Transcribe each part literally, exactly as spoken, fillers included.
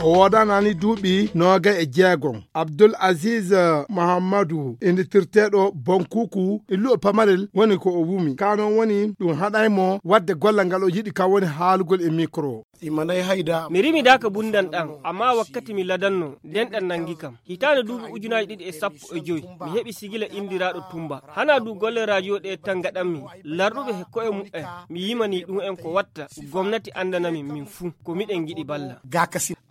O woodanaani duuɓi noogay e jeegom. Abdul Aziz, eh, Mahammadu, innitirteeɗo Bonkuku, illuɗo pamarel woni ko o wumi. Kaa noon woni ɗum haɗay mo waɗde gollal ngal o yiɗi, kam woni haalugol e mikro. Imanay hayda. Mi rimi daaka bundan ɗan, amma wakkati mi ladanno, nden ɗan nangi kam. Hitaande duuɓi ujunaaji ɗiɗi e sappo e joy, mi heɓi sigila inndiraaɗo Tumba. Hanaa du golle rajo ɗe tan ngaɗanmi, larɗuɓe he ko'e mu'en, mi yimanii ɗum'en ko watta, gomnati anndana min, min fuu, ko miɗen ngiɗi balla.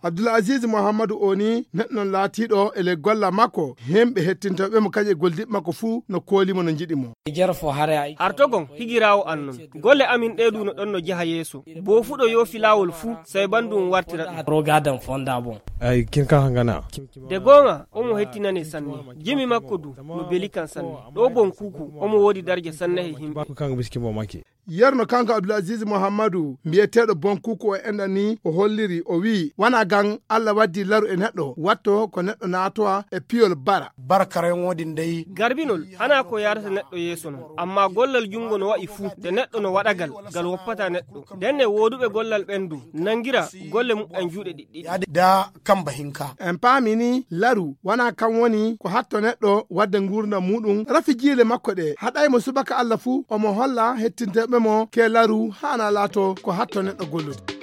Abdul Aziz Muhammadu o ni neɗɗo laatiiɗo e ley golla makko, himɓe hettintooɓe mo kañum e golliiɓe makko fuu no kooli mo, no njiɗi mo. Jere fo hare ay. Artogon, higiraawo an non. Golle amin ɗe du no ɗon no jaha yeeso. Boofuɗo yoofi laawol fuu, sey banndum wartira ɗum. Roga dan fonda bon. Ay, kin ka hangana. De goonga, omo hettinane sanne. Jimi makko du, no beli kan sanne. Ɗo bon kuku, omo woodi darja sanne he himɓe. Ba ku kanga biski mo maki. Yerno kanko Abdul Aziz Muhammadu, mbiyeteeɗo Bonkuku o enɗan ni, o holliri, o wi'i, wanaa gan Alla waddi laru e neɗɗo, watto ko neɗɗo naatowa e piyol bara. Bara karayon woodin dey. Garbinol, hanaa ko yaarata neɗɗo yeeso non. Amma gollal junngo no wa'i fuu, de neɗɗo no waɗagal, gal woppataa neɗɗo. Ndenne wooduɓe gollal ɓen du, nangira golle muɓɓen juuɗe ɗiɗɗi. Yaade da kamba hinka. En paami ni, laru wanaa kan woni ko hatto neɗɗo wadde nguurndam muuɗum, rafi jiile makko ɗe, haɗay mo subaka Alla fuu, omo holla hettinteeɓe mo ke laru haana laato ko hatto neɗɗo gollude.